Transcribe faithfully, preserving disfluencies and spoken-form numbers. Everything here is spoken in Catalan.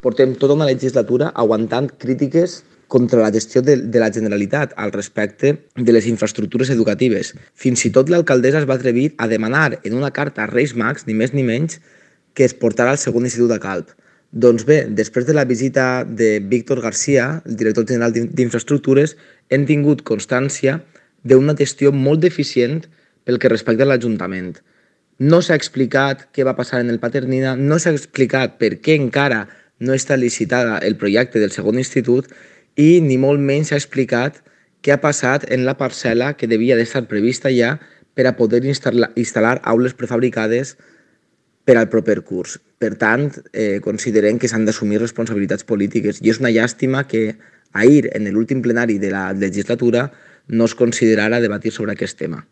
portem tota una legislatura aguantant crítiques contra la gestió de, de la Generalitat al respecte de les infraestructures educatives. Fins i tot l'alcaldessa es va atrevir a demanar en una carta a Reis Mags, ni més ni menys, que es portara al segon institut a Calp. Doncs bé, després de la visita de Víctor García, el director general d'Infraestructures, hem tingut constància d'una gestió molt deficient pel que respecta a l'Ajuntament. No s'ha explicat què va passar en el Paternina, no s'ha explicat per què encara no està licitada el projecte del segon institut i ni molt menys s'ha explicat què ha passat en la parcel·la que devia d'estar prevista ja per a poder instal·lar, instal·lar aules prefabricades per al proper curs. Per tant, eh, considerem que s'han d'assumir responsabilitats polítiques i és una llàstima que ahir, en l'últim plenari de la legislatura, no es considerara debatir sobre aquest tema.